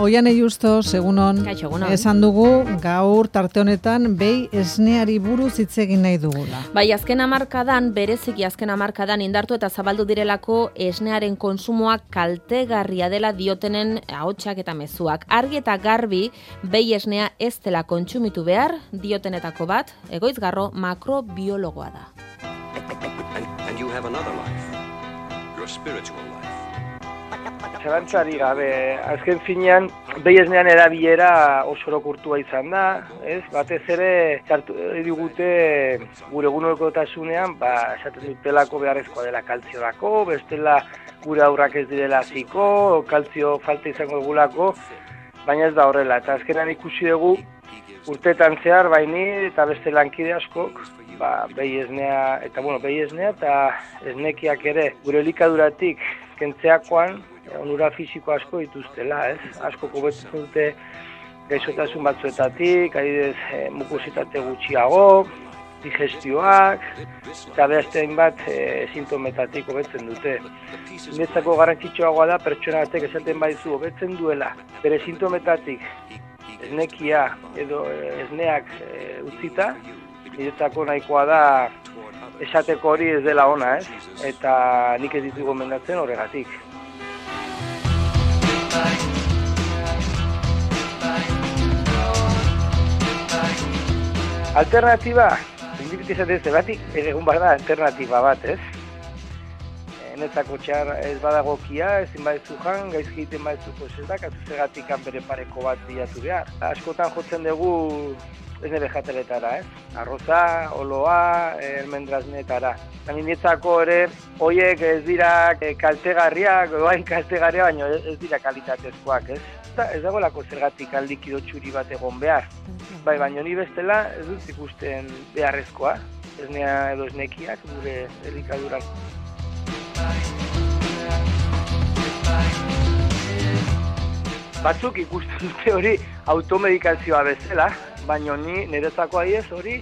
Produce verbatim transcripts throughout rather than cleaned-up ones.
Oiane Justo, segunon, Kaixo, egunon. esan dugu gaur tarte honetan behi esneari buruz hitz egin nahi dugula. Bai, azken hamarkadan, bereziki azken hamarkadan indartu eta zabaldu direlako esnearen konsumoak kaltegarria dela diotenen ahotsak eta mezuak. Argi eta garbi behi esnea ez dela kontsumitu behar diotenetako bat, Egoizgarro makrobiologoa da. And, and you have another life, your spiritual life. Zalantzari gabe, azken finean, behi esnean erabilera oso orokortua izan da, ez? Batez ere, sartu digute gure egunerokotasunean, ba, esaten dutelako beharrezkoa dela kaltziorako, bestela gure aurrak ez direla ziko, kaltzio falta izango dugulako, baina ez da horrela. Eta azkenan ikusi dugu, urteetan zehar, baini eta beste lankide askok, ba, behi esnea, eta bueno, behi esnea eta esnekiak ere gure elikaduratik kentzeakoan, onura fisiko asko dituztela, ez? Asko hobetzen dute gaixotasun batzuetatik, adibidez, e, mukusitate gutxiago, digestioak, eta beste hainbat e, sintometatik hobetzen dute. Niretzako garrantzitsuagoa da pertsona batek esaten baizu hobetzen duela, bere sintometatik esnekia edo e, esneak e, utzita, niretzako nahikoa da esateko hori ez dela ona, ez? Eta nik ez ditu gomendatzen horregatik. Alternatiba, indibidu izatez, batik egun behar da alternatiba bat, ez? Netzako txar ez badagokia, ezin badezu jan, gaizki egiten badezu posetak, azuzegatik bere pareko bat bilatu behar. Askotan jotzen dugu esne bejateletara, ez? Arroza, oloa, elmendrazneetara. Netzako ere, horiek ez dira kaltegarriak, doain kaltegarria, baina ez dira kalitatezkoak, ez? Ez dagoelako zergatik aldikido txuri bat egon behar. Bai, baina ni bestela ez dut ikusten beharrezkoa, esnea edo esnekiak gure elikaduran. Batzuk ikusten dute hori automedikazioa bezala, baina ni niretzako adiez hori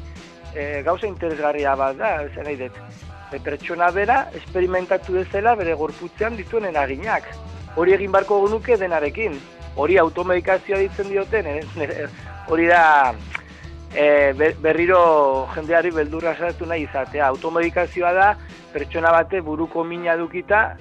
e, gauza interesgarria bat da, zer nahi dut. E, pertsona bera esperimentatu bezala bere gorputzean dituen eraginak. Hori egin barko genuke denarekin. Hori automedikazioa ditzen dioten, eh? Hori da e, berriro jendeari beldurra sartu nahi izatea. Automedikazioa da pertsona bate buruko mina dukita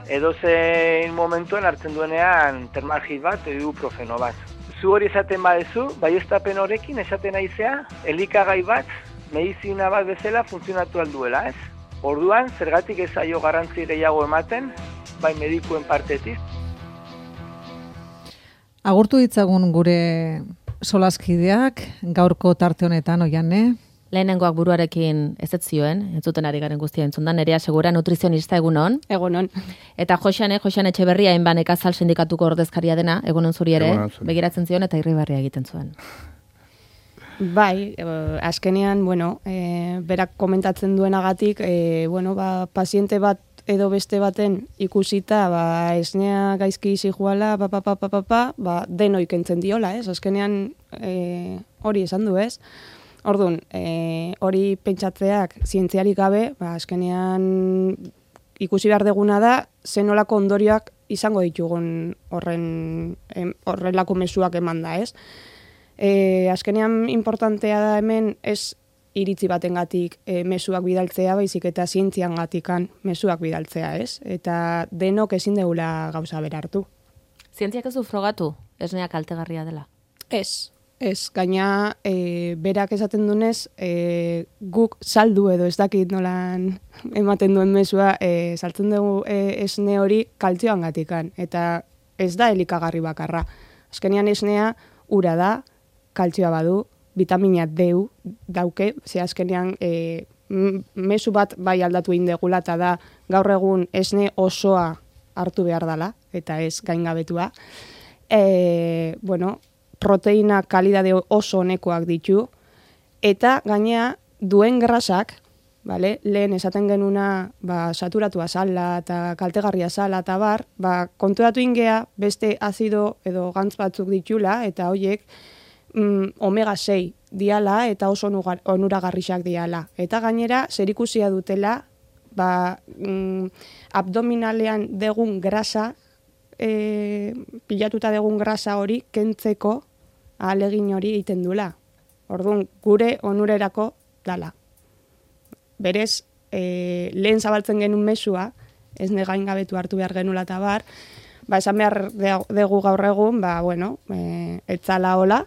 edozein momentuan hartzen duenean termalgit bat edo ibuprofeno bat. Zu hori esaten badezu, baieztapen horrekin esaten naizea, elikagai bat, medizina bat bezala funtzionatu alduela, ez? Orduan, zergatik ez zaio garrantzi gehiago ematen, bai medikuen partetik. Agurtu ditzagun gure solaskideak, gaurko tarte honetan, Oiane. Lehenengoak buruarekin ez ez zioen, entzuten ari garen guztia entzundan, Nerea Segura nutrizionista egunon. Egunon. Eta Joxane, Joxane Etxeberria, hainban nekazal sindikatuko ordezkaria dena, egunon zuri ere, Egunon zuri. Begiratzen zion eta irribarria egiten zuen. Bai, eh, azkenean, bueno, eh, berak komentatzen duenagatik, eh, bueno, ba, paziente bat edo beste baten ikusita, ba, esnea gaizki zijuala, pa, pa, pa, pa, pa, pa, ba, denoi kentzen diola, ez? Azkenean eh, hori esan du, ez? Orduan, e, hori pentsatzeak zientziarik gabe, ba, azkenean ikusi behar deguna da, zenolako ondorioak izango ditugun horren, em, horrelako mezuak eman da, ez? E, azkenean importantea da hemen ez iritzi batengatik e, mezuak bidaltzea, baizik eta zientziangatikan mezuak bidaltzea, ez? Eta denok ezin deula gauza berartu. Zientziak ez du frogatu, esnea kaltegarria dela? Ez. Ez, gaina e, berak esaten dunez, e, guk saldu edo ez dakit nolan ematen duen mezua, e, saltzen dugu e, esne hori kaltzioan gatikan, eta ez da elikagarri bakarra. Azkenean esnea ura da, kaltzioa badu, vitamina D dauke, ze azkenean e, mezu bat bai aldatu indegula, eta da gaur egun esne osoa hartu behar dela, eta ez gaingabetua. E, bueno, proteina kalidade oso honekoak ditu, eta gainea duen grasak, vale, lehen esaten genuna ba, saturatua zala eta kaltegarria zala eta bar, ba, konturatu ingea beste azido edo gantz batzuk ditula, eta hoiek mm, omega sei diala eta oso onuragarriak diala. Eta gainera, zerikusia dutela, ba, mm, abdominalean degun grasa e, pilatuta dugun grasa hori kentzeko ahalegin hori egiten dula. Orduan, gure onurerako dala. Berez, e, lehen zabaltzen genuen mesua, ez negain gabetu hartu behar genula eta bar, ba, esan behar dugu gaur egun, ba, bueno, e, etzala hola,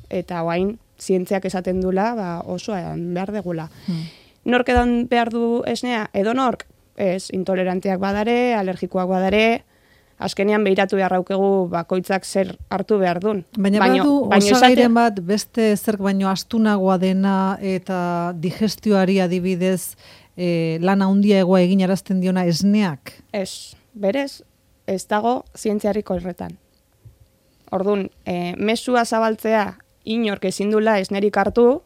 eta guain, zientziak esaten dula, ba, oso behar degula. Hmm. Nork edan behar du esnea? Edo nork? Ez, intoleranteak badare, alergikoak badare, azkenean behiratu beharraukegu bakoitzak zer hartu behar duen. Baina badu, osagairen bat, beste zerk baino astunagoa dena eta digestioari adibidez e, lan handia egoa egin arazten diona esneak? Ez, berez, ez dago zientziarik horretan. Orduan, e, mesua zabaltzea inork ezin dula esnerik hartu,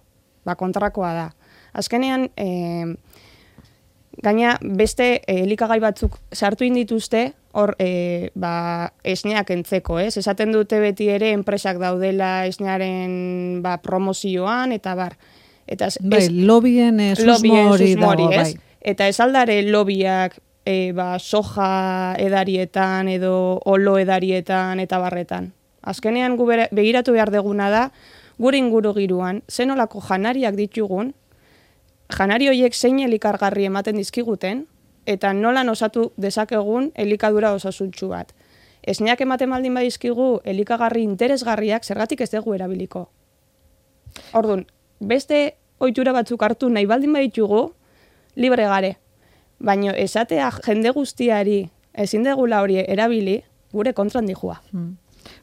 ba kontrakoa da. Azkenean, e, gaina beste e, elikagai batzuk sartu indituzte, hor e, ba, esneak entzeko, ez? Esaten dute beti ere enpresak daudela esnearen ba, promozioan, eta bar. Eta ez, bai, lobien e, susmo hori dago, bai. Eta ez aldare lobiak e, ba, soja edarietan edo olo edarietan eta barretan. Azkenean gu begiratu behar deguna da, gure inguru giruan, zenolako janariak ditugun, janari horiek zein elikargarri ematen dizkiguten, eta nolan osatu dezakegun elikadura osasuntsu bat. Esneak ematen baldin badizkigu elikagarri interesgarriak zergatik ez dugu erabiliko. Orduan, beste ohitura batzuk hartu nahi baldin baditugu, libre gare. Baina esatea jende guztiari ezin degula hori erabili, gure kontran dijua. Hmm.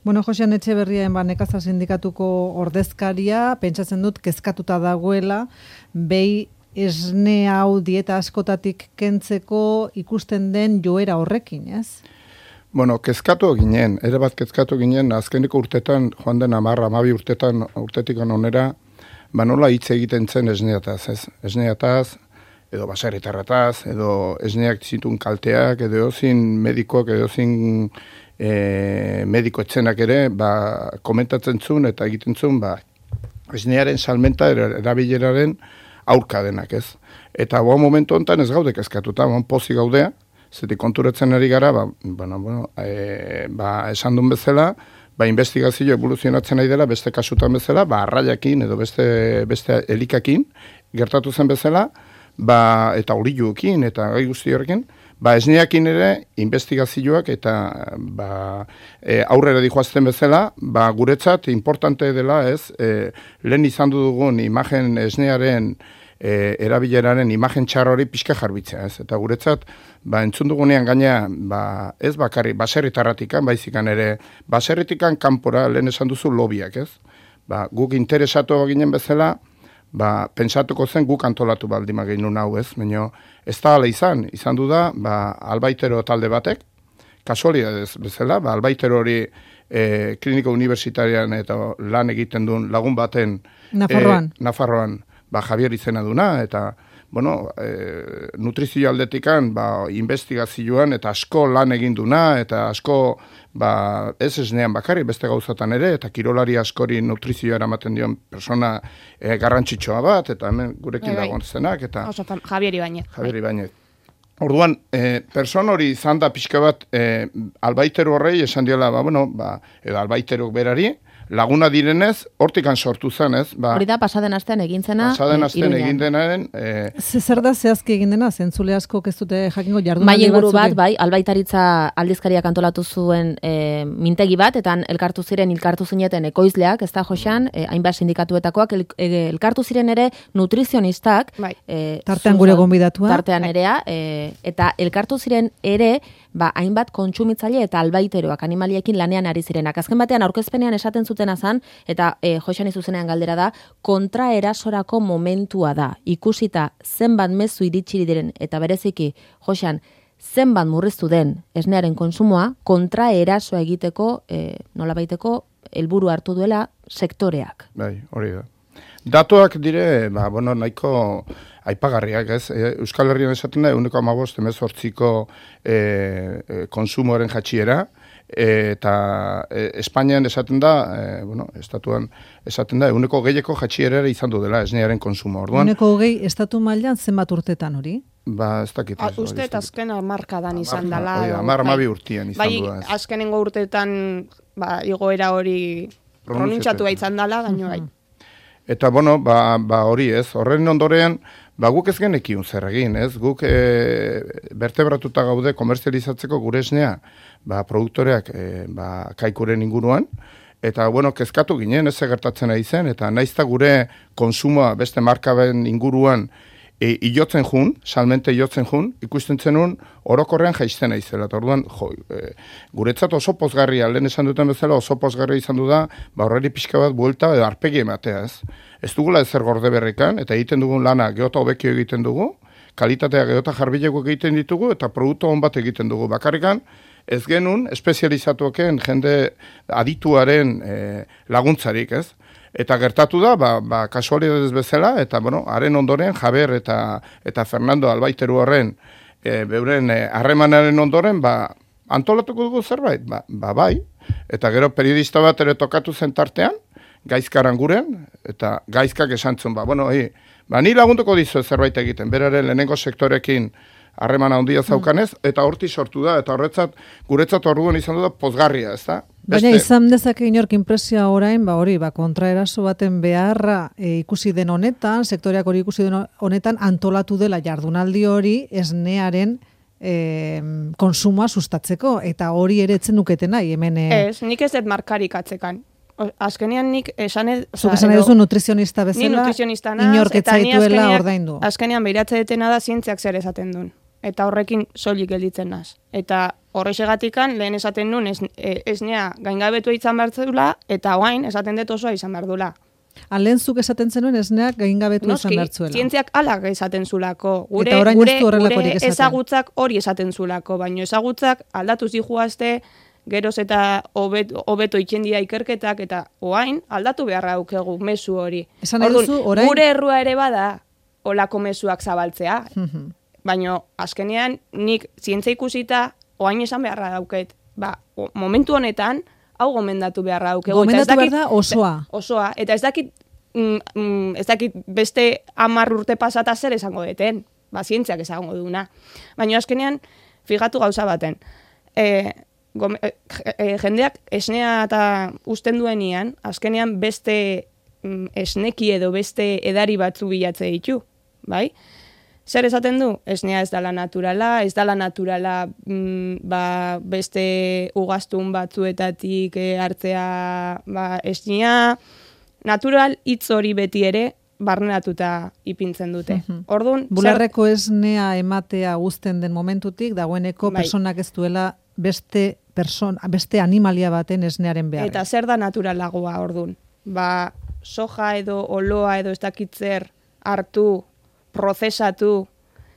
Bueno, Josean Etxeberriaen ba, nekazal sindikatuko ordezkaria, pentsatzen dut kezkatuta dagoela, behi esne hau dieta askotatik kentzeko ikusten den joera horrekin, ez? Bueno, kezkatu ginen, ere bat kezkatu ginen, azkeneko urtetan, joan den amarra, amabi urtetan, urtetik onera, ba nola hitz egiten zen esneataz, ez? Esneataz, edo baserritarrataz, edo esneak zituen kalteak, edo zin medikoak, edo zin e, mediko etzenak ere, ba, komentatzen zuen eta egiten zuen, ba, esnearen salmenta erabileraren aurka denak, ez? Eta boa momentu honetan ez gaude kezkatuta, boan pozi gaudea, zetik konturatzen ari gara, ba, bueno, bueno, e, ba, esan duen bezala, ba, investigazio evoluzionatzen nahi dela, beste kasutan bezala, ba, arraiakin edo beste, beste elikakin, gertatu zen bezala, ba, eta horiluekin, eta gai guzti horrekin, ba, esneakin ere, investigazioak eta ba, e, aurrera dijoazten bezala, ba, guretzat importante dela, ez, e, lehen izan dugun imagen esnearen e, erabileraren imagen txarra hori pixka jarbitzea, ez, eta guretzat, ba, entzun dugunean gaina, ba, ez bakarri, baserritarratikan, baizikan ere, baserritikan kanpora lehen esan duzu lobiak, ez, ba, guk interesatu ginen bezala, ba, pentsatuko zen guk antolatu baldima gehinun hau, ez, baina ez da ala izan, izan du da, ba, albaitero talde batek, kasualidadez bezala, ba, albaitero hori e, kliniko universitarian eta lan egiten duen lagun baten Nafarroan, e, Nafarroan ba, Javier izena duna, eta bueno, e, nutrizio aldetikan, ba, investigazioan eta asko lan egin duna, eta asko, ba, ez esnean bakarri, beste gauzatan ere, eta kirolari askori nutrizioa eramaten dion persona e, garrantzitsua bat, eta hemen gurekin dagoen zenak, eta Javier Ibañez. Javier Ibañez. Orduan, e, person hori izan da pixka bat, e, albaitero horrei esan diola, ba, bueno, ba, edo albaiterok berari, laguna direnez, hortikan sortu zen, ez? Ba, hori da, pasaden astean egin zena. Pasaden astean egin denaren. E, Zer da zehazki egin dena, zentzule asko ez dute jakingo jardun. Bai inguru bat, bai, albaitaritza aldizkariak antolatu zuen e, mintegi bat, eta elkartu ziren, elkartu zineten ekoizleak, ez da, Josean, e, hainbat sindikatuetakoak, el, e, elkartu ziren ere nutrizionistak. Bai. E, tartean gure gonbidatua. Tartean erea, e, eta elkartu ziren ere, ba, hainbat kontsumitzaile eta albaiteroak animaliekin lanean ari zirenak. Azken batean aurkezpenean esaten zutena zan, eta e, Josean izuzenean galdera da, kontraerasorako momentua da. Ikusita zenbat mezu iritsi diren, eta bereziki, Josean, zenbat murriztu den esnearen konsumoa, kontraerasoa egiteko, e, nolabaiteko, helburu hartu duela sektoreak. Bai, hori da. Datuak dire, ba, bueno, nahiko aipagarriak, ez? Euskal Herrian esaten da, eguneko amabost, emezortziko e, e, konsumoaren jatxiera, eta e, Espainian esaten da, e, bueno, estatuan esaten da, eguneko gehieko jatxierera izan du dela esnearen konsumo. Orduan, eguneko gehi estatu mailan zenbat urtetan hori? Ba, ez dakit. A, uste eta azken amarkadan izan dela. Oida, amar amabi urtian izan bai, du da. Bai, azkenengo urteetan ba, igoera hori pronuntxatu izan dela, gaino bai. Eta, bueno, ba, ba hori ez, horren ondorean, ba guk ez genekiun zer egin, ez? Guk e, bertebratuta gaude komerzializatzeko gure esnea, ba, produktoreak e, ba, kaikuren inguruan, eta, bueno, kezkatu ginen, ez gertatzen ari zen, eta naizta gure konsumoa beste markaben inguruan e, iotzen jun, salmente iotzen jun, ikusten zenun orokorrean jaizten aizela. Eta orduan, jo, e, guretzat oso pozgarria, lehen esan duten bezala oso pozgarria izan du da, ba horreri pixka bat buelta edo arpegi ematea, ez? Ez dugula ezer gorde berrikan, eta egiten dugun lana geota hobekio egiten dugu, kalitatea geota jarbileko egiten ditugu, eta produktu hon bat egiten dugu. Bakarrikan, ez genuen espezializatuaken jende adituaren e, laguntzarik, ez? Eta gertatu da, ba, ba kasualidadez bezala, eta, bueno, haren ondoren, Jaber eta, eta Fernando Albaiteru horren, e, beuren harremanaren ondoren, ba, antolatuko dugu zerbait, ba, ba bai, eta gero periodista bat ere tokatu zen tartean, gaizkaran guren, eta gaizkak esantzun, ba, bueno, hi, ba, ni lagunduko dizu zerbait egiten, beraren lehenengo sektorekin harremana handia zaukanez, eta horti sortu da, eta horretzat, guretzat orduan izan du da pozgarria, ez da? Baina izan dezake inork inpresioa orain, ba hori, ba kontraeraso baten beharra e, ikusi den honetan, sektoreak hori ikusi den honetan, antolatu dela jardunaldi hori esnearen e, konsumoa sustatzeko, eta hori ere etzen nuketen nahi, hemen... E... Ez, nik ez dut markarik atzekan. Azkenean nik esan ez... Zuk esan edo, duzu nutrizionista bezala, ni nutrizionista naz, inork etzaituela ordaindu. Azkenean behiratzen detena da zientziak zer esaten duen. Eta horrekin soilik gelditzen naz. Eta horrexegatikan lehen esaten nuen esnea gaingabetu izan behar zula, eta oain esaten dut osoa izan behar dula. Lehen zuk esaten zenuen esneak gaingabetu izan behar zuela. Zientziak alak esaten zulako. Gure, gure, gure ezagutzak hori esaten zulako, baina ezagutzak aldatu zijuazte, geroz eta hobeto itxendia ikerketak, eta oain aldatu beharra aukegu mezu hori. Esan eduzu, orain... Gure errua ere bada olako mezuak zabaltzea. Baina azkenean nik zientzia ikusita oain esan beharra dauket. Ba, momentu honetan hau gomendatu beharra daukegu. Gomendatu behar da osoa. Osoa. Eta ez dakit, mm, ez dakit beste hamar urte pasata zer esango deten. Ba, zientziak esango duna. Baina azkenean, fijatu gauza baten. E, gome, e, jendeak esnea eta usten duenian, azkenean beste mm, esneki edo beste edari batzu bilatze ditu. Bai? Zer esaten du? Esnea ez dala naturala, ez dala naturala mm, ba, beste ugaztun batzuetatik e, hartzea ba, esnea. Natural hitz hori beti ere barneratuta ipintzen dute. Mm-hmm. Orduan, bularreko zer... esnea ematea guzten den momentutik, dagoeneko bai. Personak ez duela beste, person, beste animalia baten esnearen behar. Eta zer da naturalagoa orduan? Ba, soja edo oloa edo ez dakitzer hartu, prozesatu,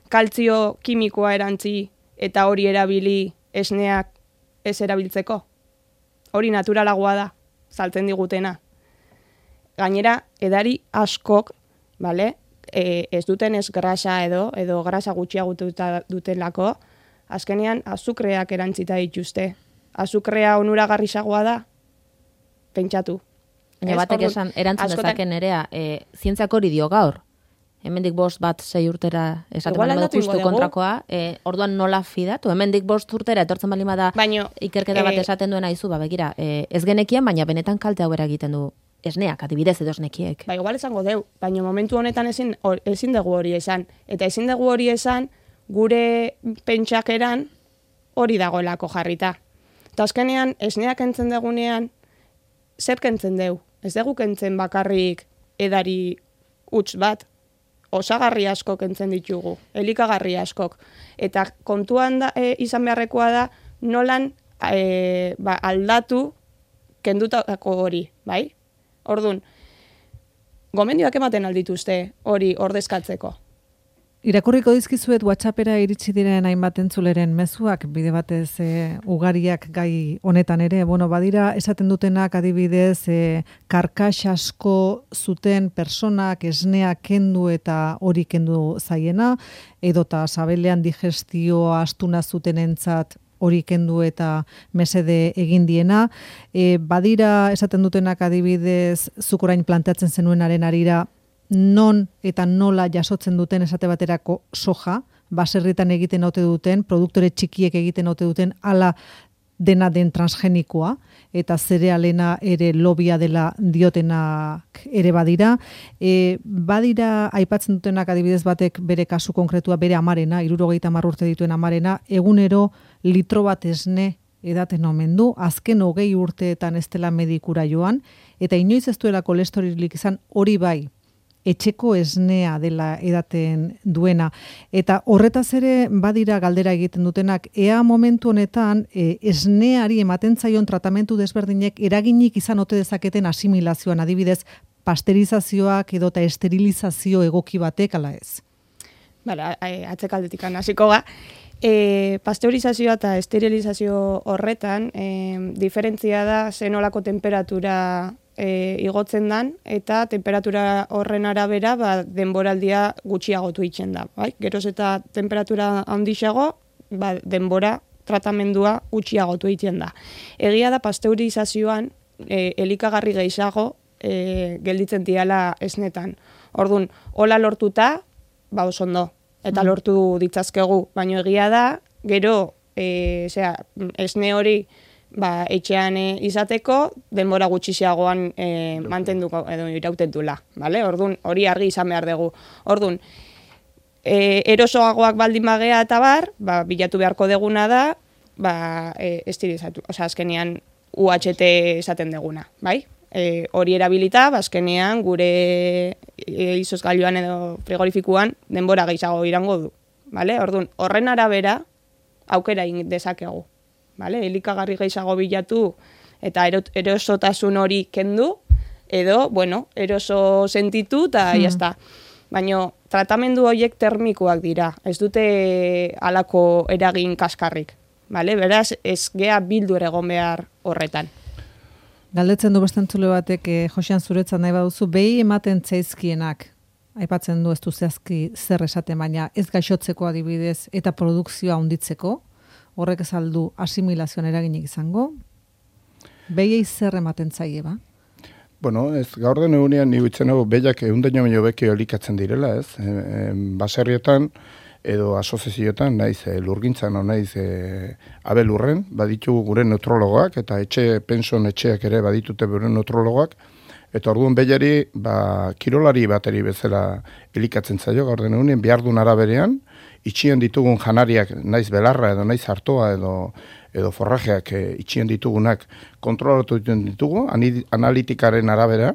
kaltzio kimikoa erantzi eta hori erabili esneak ez erabiltzeko. Hori naturalagoa da, saltzen digutena. Gainera, edari askok, vale, e, ez duten ez grasa edo, edo grasa gutxiagututa dutelako, azkenean azukreak erantzita dituzte. Azukrea onuragarriagoa da, pentsatu. Baina batek esan, erantzun dezaken nerea, e, zientziak hori dio gaur. Hemendik bost bat sei urtera esaten bali badu justu kontrakoa, e, orduan nola fidatu? Hemendik bost urtera etortzen bali bada ikerketa bat esaten duena izu, ba begira, e, ez genekien, baina benetan kalte hau egiten du esneak, adibidez edo esnekiek. Ba, igual esango deu, baina momentu honetan ezin, or, ezin dugu hori esan. Eta ezin dugu hori esan, gure pentsakeran hori dagoelako jarrita. Eta azkenean, esneak entzen dugunean, zer kentzen deu? Ez dugu kentzen bakarrik edari huts bat, osagarri askok entzen ditugu, elikagarri askok. Eta kontuan da, e, izan beharrekoa da, nolan e, ba, aldatu kendutako hori, bai? Orduan, gomendioak ematen aldituzte hori ordezkatzeko. Irakurriko dizkizuet WhatsAppera iritsi diren hainbat entzuleren mezuak, bide batez e, ugariak gai honetan ere, bueno, badira esaten dutenak adibidez e, karkas asko zuten personak esnea kendu eta hori kendu zaiena, edota sabelean digestioa astuna zutenentzat hori kendu eta mesede egin diena. E, badira esaten dutenak adibidez, zuk orain planteatzen zenuenaren arira, non eta nola jasotzen duten esate baterako soja, baserritan egiten ote duten, produktore txikiek egiten ote duten, ala dena den transgenikoa, eta zerealena ere lobia dela diotenak ere badira. E, badira aipatzen dutenak adibidez batek bere kasu konkretua, bere amarena, hirurogeita hamar urte dituen amarena, egunero litro bat esne edaten omen du, azken hogei urteetan ez dela medikura joan, eta inoiz ez duela kolesterolirik izan, hori bai, etxeko esnea dela edaten duena. Eta horretaz ere badira galdera egiten dutenak, ea momentu honetan e, esneari ematen zaion tratamentu desberdinek eraginik izan ote dezaketen asimilazioan, adibidez, pasterizazioak edo eta esterilizazio egoki batek ala ez. Bale, atzekaldetik hasiko ga. E, pasteurizazioa eta esterilizazio horretan, e, diferentzia da zenolako temperatura E, igotzen dan, eta temperatura horren arabera ba, denboraldia gutxiagotu itzen da. Bai? Geroz eta temperatura handiago, ba, denbora tratamendua gutxiagotu itzen da. Egia da pasteurizazioan e, elikagarri gehiago e, gelditzen diala esnetan. Orduan, hola lortuta, ba oso ondo, eta mm. lortu ditzazkegu, baina egia da, gero, e, zera, esne hori ba, etxean e, izateko, denbora gutxiagoan e, mantenduko edo irauten dula, vale? Ordun hori argi izan behar dugu. Ordun e, erosoagoak baldin bagea eta bar, ba, bilatu beharko deguna da, ba, e, esterilizatu, osea, azkenean U H T esaten deguna, bai? E, hori erabilita, ba, azkenean gure e, izozgailuan edo frigorifikuan denbora gehiago irango du, vale? Ordun horren arabera aukera egin dezakegu. Vale, elikagarri gehiago bilatu eta erosotasun hori kendu, edo, bueno, eroso sentitu eta hmm. jazta. Baina tratamendu horiek termikoak dira, ez dute halako eragin kaskarrik. Vale? Beraz, ez gea bildu egon behar horretan. Galdetzen du bestentzule batek, eh, Josean zuretzat nahi baduzu, behi ematen zaizkienak, aipatzen du ez du zehazki zer esaten, baina ez gaixotzeko adibidez eta produkzioa handitzeko, horrek ezaldu asimilazioan eraginik izango, behiei zer ematen zaie, ba? Bueno, ez, gaur den egunean ni huitzen hau behiak eundaino baino beki elikatzen direla, ez? E, e, baserrietan edo asoziazioetan, naiz e, lurgintzan, naiz e, abelurren, baditugu gure neutrologoak, eta etxe, pension etxeak ere baditute bere neutrologoak, eta orduan behiari, ba, kirolari bateri bezala elikatzen zaio, gaur den egunean, behar duen araberean, itxien ditugun janariak, naiz belarra edo naiz hartoa edo edo forrajeak e, itxien ditugunak kontrolatu egiten ditugu, analitikaren arabera,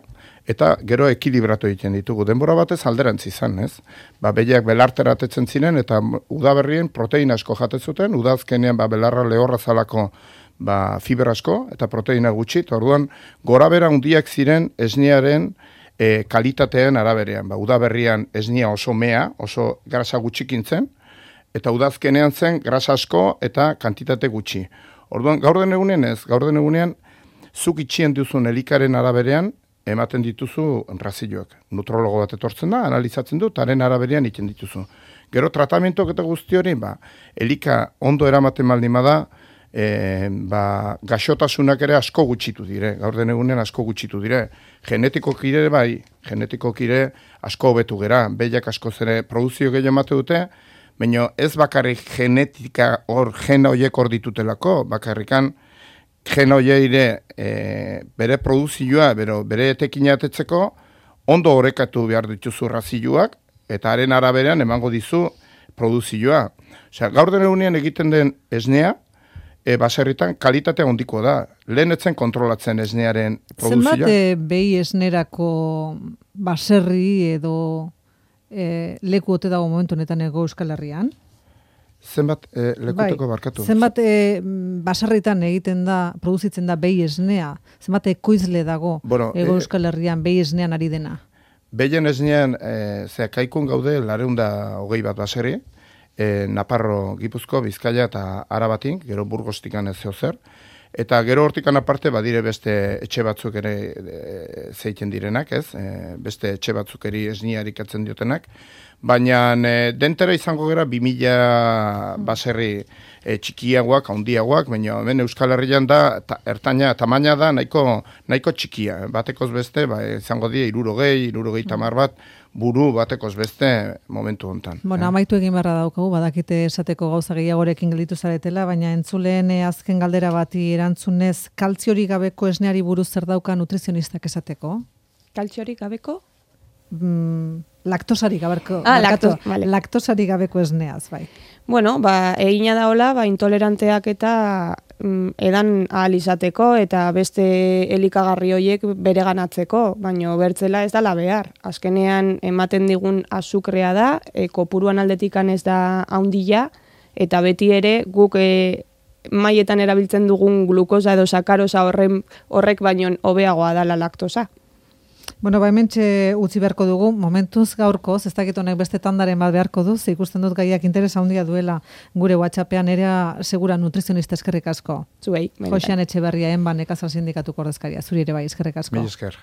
eta gero ekilibratu egiten ditugu. Denbora batez alderantz izan, ez? Ba, behiak belarteratetzen ziren, eta udaberrien proteina asko jatezuten, udazkenean ba, belarra lehorra zalako ba, fibra asko, eta proteina gutxi, eta orduan gorabera handiak ziren esnearen e, kalitatean araberean. Ba, udaberrian esnea oso mea, oso grasa gutxikin zen, eta udazkenean zen grasa asko eta kantitate gutxi. Orduan, gaur den egunean ez, gaur den egunean, zuk itxien duzun elikaren araberean, ematen dituzu razioak. Nutrologo bat etortzen da, analizatzen du, eta haren araberean iten dituzu. Gero tratamentok eta guzti hori, ba, elika ondo eramaten baldin bada, e, ba, gaxotasunak ere asko gutxitu dire, gaur den egunean asko gutxitu dire. Genetikok ire bai, genetikok ire asko hobetu gera, behiak asko zere produzio gehiago emate dute, baina ez bakarrik genetika hor gena horiek hor ditutelako, bakarrikan gena horieire e, bere produzioa, bero, bere etekina atetzeko, ondo horrekatu behar dituzu razioak, eta haren araberean emango dizu produzioa. Osea, gaur den egunean egiten den esnea, e, baserritan kalitatea ondiko da. Lehen etzen kontrolatzen esnearen produzioa. Zenbat e, behi esnerako baserri edo E, leku ote dago momentu honetan ego Euskal Herrian? Zenbat e, lekuteko bai, barkatu? Zenbat e, basarritan egiten da, produzitzen da behi esnea? Zenbat ekoizle dago bueno, ego Euskal Herrian behi esnean ari dena? Behien esnean, e, zera kaikun gaude, lareunda hogei bat baserri, e, Naparro, Gipuzko, Bizkaia eta Arabatin, gero Burgostikan ez zeo zer, Eta gero hortikan aparte badire beste etxe batzuk ere e, zeiten direnak, ez? E, beste etxe batzuk eri esniarik atzen diotenak. Baina e, dentera izango gara bi mila baserri e, txikiagoak, handiagoak, baina hemen Euskal Herrian da, ta, ertaina, tamaina da nahiko, nahiko txikia. Batekoz beste, ba, izango die irurogei, irurogei tamar bat, buru batekoz beste momentu hontan. Bueno, eh? amaitu egin beharra daukagu, badakite esateko gauza gehiagorekin gelditu zaretela, baina entzuleen eh, azken galdera bati erantzunez, kaltziorik gabeko esneari buruz zer dauka nutrizionistak esateko? Kaltziorik gabeko? Mm, laktosarik gabeko, Ah, barkatu, lakto- vale. laktosarik gabeko esneaz, bai. Bueno, ba, egina da hola, ba, intoleranteak eta mm, edan ahal izateko eta beste elikagarri horiek bereganatzeko, baino bertzela ez dala behar. Azkenean ematen digun azukrea da, e, kopuruan aldetikan ez da haundila, eta beti ere guk e, maietan erabiltzen dugun glukosa edo sakarosa horren, horrek baino hobeagoa dala laktosa. Bueno, ba, hementxe utzi beharko dugu, momentuz gaurkoz, ez dakit honek beste tandaren bat beharko du, ze ikusten dut gaiak interesa handia duela gure WhatsAppean ere segura nutrizionista eskerrik asko. Zuei, benetan. Josean Etxeberria enban nekazal sindikatuko ordezkaria, zuri ere bai eskerrik asko. Mil esker.